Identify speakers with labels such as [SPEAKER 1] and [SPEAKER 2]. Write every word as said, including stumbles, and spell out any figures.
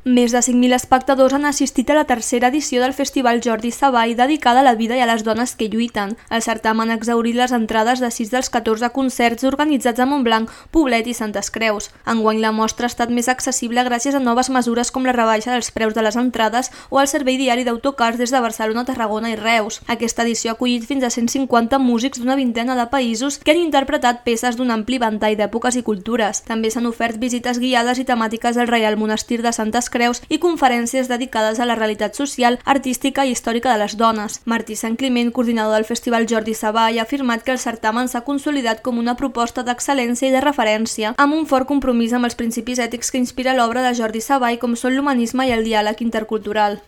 [SPEAKER 1] Més de cinc mil espectadors han assistit a la tercera edició del Festival Jordi Savall dedicada a la vida i a les dones que lluiten. El certamen ha exhaurit les entrades de sis dels catorze concerts organitzats a Montblanc, Poblet i Santes Creus. Enguany la mostra ha estat més accessible gràcies a noves mesures com la rebaixa dels preus de les entrades o el servei diari d'autocars des de Barcelona, Tarragona i Reus. Aquesta edició ha acollit fins a cent cinquanta músics d'una vintena de països que han interpretat peces d'un ampli ventall d'èpoques i cultures. També s'han ofert visites guiades i temàtiques al Reial Monestir de Santes Creus i conferències dedicades a la realitat social, artística i històrica de les dones. Martí Santcliment, coordinador del Festival Jordi Savall, ha afirmat que el certamen s'ha consolidat com una proposta d'excel·lència i de referència, amb un fort compromís amb els principis ètics que inspira l'obra de Jordi Savall, com són l'humanisme i el diàleg intercultural.